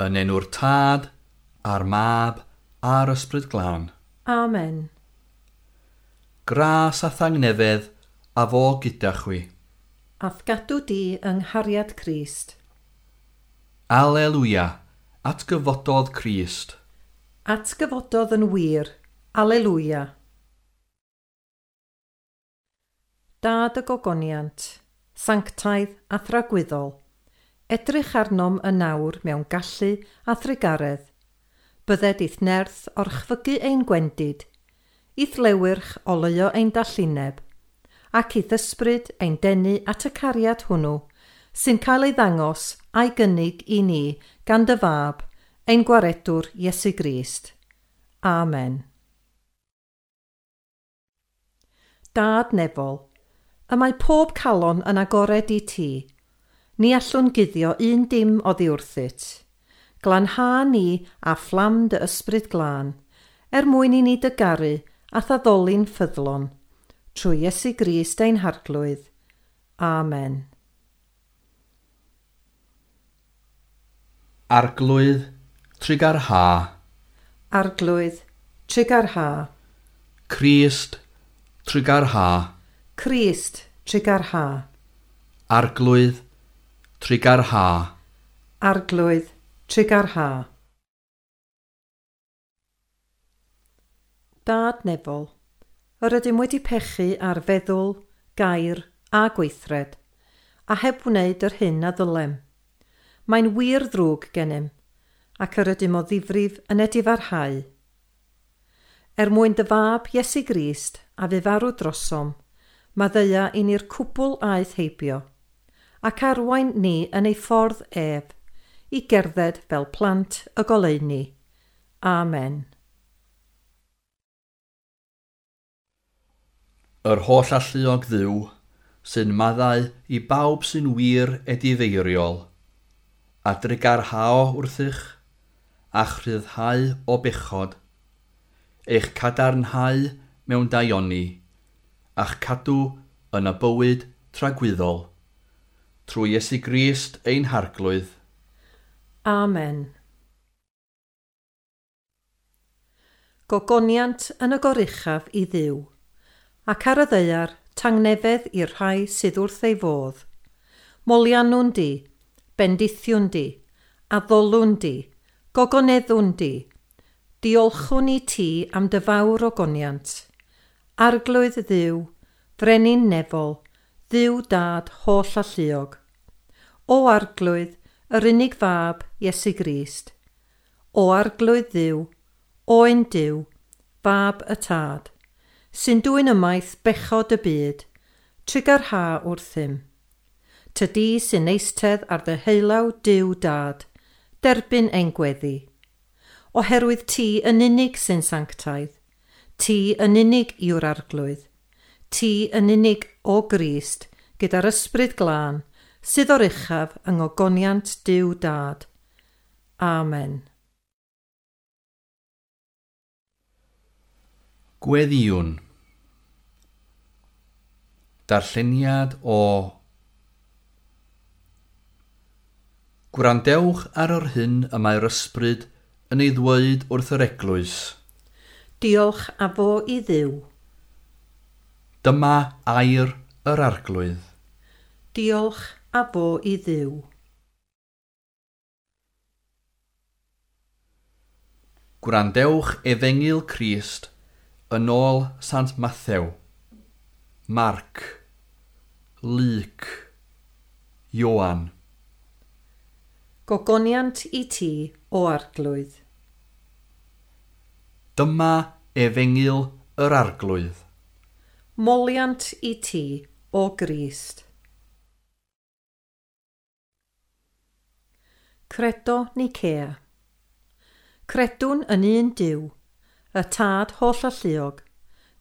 Yn enw'r Tad, a'r Mab, a'r Ysbryd Glân. Amen. Gras a thangnefedd a fo gyda chwi. A'th gadw di yng nghariad Crist. Aleluia, atgyfododd Crist. Atgyfododd yn wir. Aleluia. Dad y gogoniant, sanctaidd a thragwyddol, edrych arnom yn nawr mewn gallu a thrugaredd. Bydded i'th nerth orchfygu ein gwendid, i'th lewyrch oleuo ein dallineb, ac i'th ysbryd ein denu at y cariad hwnnw sy'n cael ei ddangos a'i gynnig i ni gan dy fab, ein gwaredwr Iesu Grist. Amen. Dad nefol, y mae pob calon yn agored i ti. Ni allwn guddio un dim oddi wrthyt. Glanha ni a fflam dy ysbryd glân, er mwyn i ni dy garu a thaddoli'n ffyddlon, trwy Iesu Grist ein Harglwydd. Amen. Arglwydd, trugarha. Arglwydd, trugarha. Crist, trugarha. Crist, trugarha. Arglwydd, trugarha. Arglwydd, trugarha. Dad nefol, yr ydym wedi pechu ar feddwl, gair a gweithred, a heb wneud yr hyn a ddylem. Mae'n wir ddrwg gennym, ac yr ydym o ddifrif yn edifarhau. Er mwyn dy fab Iesu Grist a fu farw drosom, maddeuia i ni'r cwbl aeth heibio, ac arwain ni yn ei ffordd ef, i gerdded fel plant y goleuni. Amen. Yr holl alluog Dduw sy'n maddau i bawb sy'n wir edifeiriol, a drugarhao wrthych, a chryfhau o bechod, eich cadarnhau mewn daioni, a'ch cadw yn y bywyd tragwyddol, trwy Iesu Grist ein Harglwydd. Amen. Gogoniant yn y goruchaf i Dduw, ac ar y ddaear tangnefedd i'r rhai sydd wrth ei fodd. Moliannwn di, bendithiwn di, addolwn di, gogoneddwn di, diolchwn i ti am dy fawr ogoniant. Arglwydd Dduw, frenin nefol, Dduw dad holl alluog. O Arglwydd, yr unig fab, Iesu Grist. O Arglwydd Dduw, Oen Duw, fab y Tad, sy'n dwyn ymaith bechod y byd, trugarha wrthym. Tydi sy'n eistedd ar dy heulaw Duw Dad, derbyn ein gweddi. Oherwydd ti yn unig sy'n sanctaidd, ti yn unig yw'r Arglwydd, ti yn unig o Grist gyda'r ysbryd glân sydd o'r uchaf yng ngogoniant Duw Dad. Amen. Gweddïwn. Darlleniad o Gwrandewch ar yr hyn y mae'r ysbryd yn ei ddweud wrth yr eglwys. Diolch a fo i Dduw. Dyma air yr Arglwydd. Diolch a fo i Dduw. Gwrandewch Efengyl Crist yn ôl Sant Mathew, Marc, Luc, Ioan. Gogoniant i ti, o Arglwydd. Dyma Efengyl yr Arglwydd. Moliant i ti, o Grist. Credo Nicea. Credwn yn un Duw, y Tad holl alluog,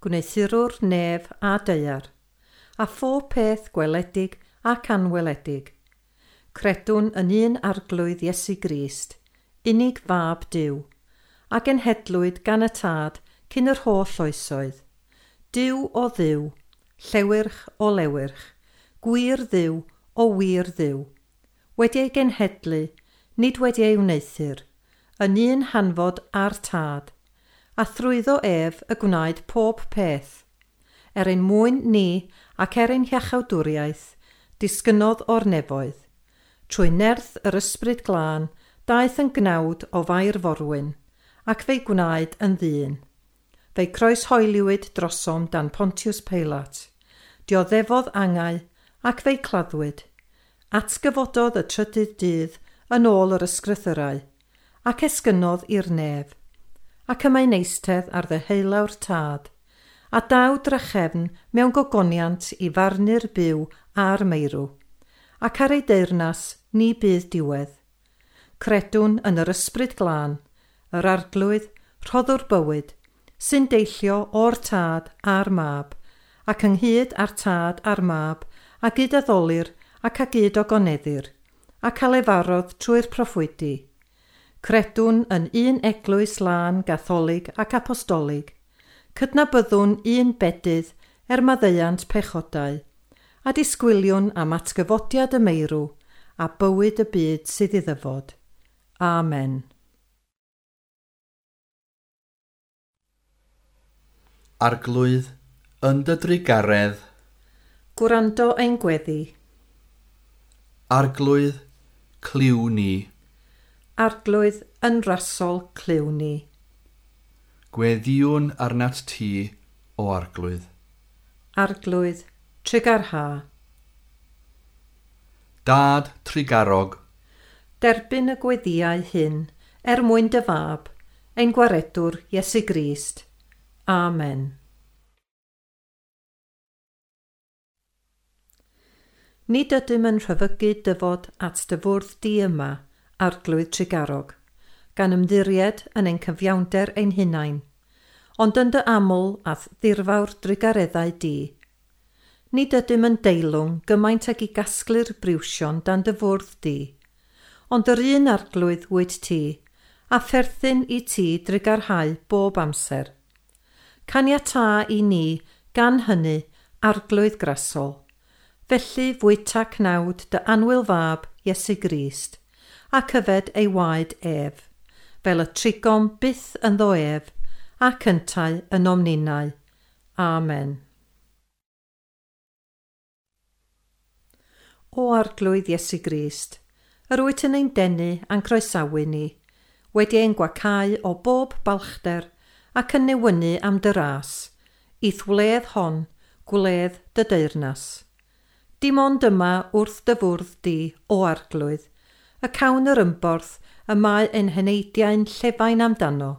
gwneuthurwr nef a daear, a phob peth gweledig ac anweledig. Credwn yn un Arglwydd Iesu Grist, unig fab Duw, a genhedlwyd gan y Tad cyn yr holl oesoedd. Duw o Dduw, llewyrch o lewyrch, gwir Dduw o wir Dduw, wedi ei genhedlu, nid wedi ei wneuthur, yn un hanfod a'r Tad, a thrwyddo ef y gwnaed pob peth. Er ein mwyn ni ac er ein hiachawdwriaeth, disgynnodd o'r nefoedd. Trwy nerth yr Ysbryd Glân, daeth yn gnawd o Fair Forwyn, ac fe'i gwnaed yn ddyn. Fe'i croeshoeliwyd drosom dan Pontius Pilate. Dioddefodd angau ac fe'i claddwyd. Atgyfododd y trydydd dydd yn ôl yr ysgrythyrau, ac esgynnodd i'r nef. Ac y mae'n eistedd ar ddeheulaw'r Tad, a daw drachefn mewn gogoniant i farnu'r byw a'r meirw, ac ar ei deyrnas ni bydd diwedd. Credwn yn yr Ysbryd Glân, yr Arglwydd, rhoddwr bywyd, sy'n deillio o'r Tad a'r Mab, ac ynghyd â'r Tad a'r Mab, a gyd-addolir ac a gyd-ogoneddir, ac a lefarodd trwy'r proffwydi. Credwn yn un eglwys lân, gatholig ac apostolig. Cydnabyddwn un bedydd er maddeuant pechodau, a disgwyliwn am atgyfodiad y meirw a bywyd y byd sydd i ddyfod. Amen. Arglwydd, yn dy drugaredd, Gwrando ein gweddi. Arglwydd, clyw ni. Arglwydd, yn rasol clyw ni. Gweddïwn arnat ti, o Arglwydd. Arglwydd, trugarha. Dad trugarog. Derbyn y gweddïau hyn er mwyn dy fab, ein gwaredwr Iesu Grist. Amen. Nid ydym yn rhyfygu dyfod at dy fwrdd di yma, Arglwydd trugarog, gan ymddiried yn ein cyfiawnder ein hunain, ond yn dy aml a'th ddirfawr drugareddau di. Nid ydym yn deilwng gymaint ag i gasglu'r briwsion dan dy fwrdd di, ond yr un Arglwydd wyt ti, a pherthyn i ti drugarhau bob amser. Caniatâ i ni, gan hynny, Arglwydd grasol, felly fwyta cnawd dy annwyl fab Iesu Grist, ac yfed ei waed ef, fel y trigom byth ynddo ef, ac yntau ynom ninnau. Amen. O Arglwydd Iesu Grist, yr wyt yn ein denu a'n croesawu ni, wedi ein gwacau o bob balchder ac yn newynu am dy ras, i'th wledd hon, gwledd dy deyrnas. Dim ond yma wrth dy fwrdd di, o Arglwydd, y cawn yr ymborth y mae ein heneidiau'n llefain amdano.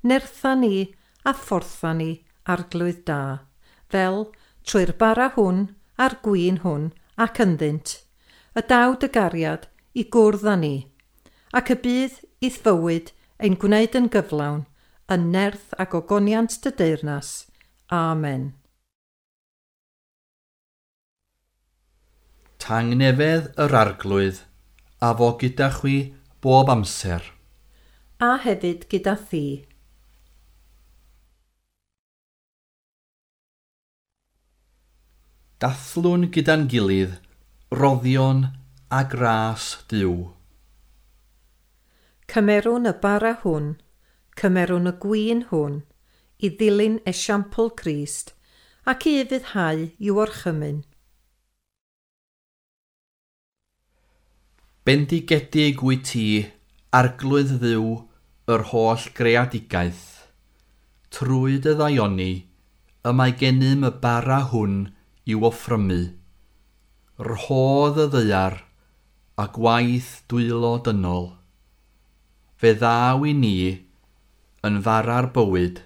Nertha ni a phortha ni, Arglwydd da, fel trwy'r bara hwn a'r gwin hwn ac ynddynt, y daw dy gariad i gwrdd â ni, ac y bydd i'th fywyd ein gwneud yn gyflawn, yn nerth ac ogoniant dy deyrnas. Amen. Tangnefedd yr Arglwydd, a fo gyda chwi bob amser. A hefyd gyda thi. Dathlwn gyda'n gilydd, roddion a gras Duw. Cymerwn y bara hwn, cymerwn y gwin hwn, i ddilyn esiampl Crist, ac i ufuddhau i'w orchymyn. Bendigedig wyt ti, Arglwydd Dduw, yr holl greadigaeth. Trwy dy ddaioni, y mae gennym y bara hwn i'w offrymu. Rhodd y ddaear a gwaith dwylo dynol. Fe ddaw i ni yn fara'r bywyd.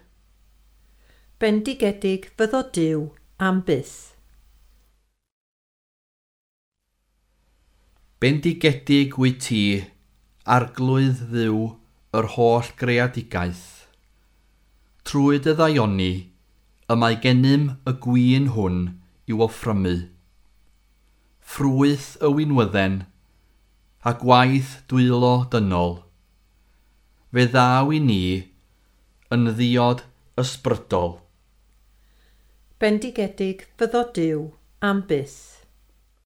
Bendigedig fyddo Duw am byth. Bendigedig wyt ti, Arglwydd Dduw, yr holl greadigaeth. Trwy dy ddaioni, y mae gennym y gwin hwn i'w offrymu. Ffrwyth y winwydden, a gwaith dwylo dynol. Fe ddaw i ni yn ddiod ysbrydol. Bendigedig fyddo Duw am byth.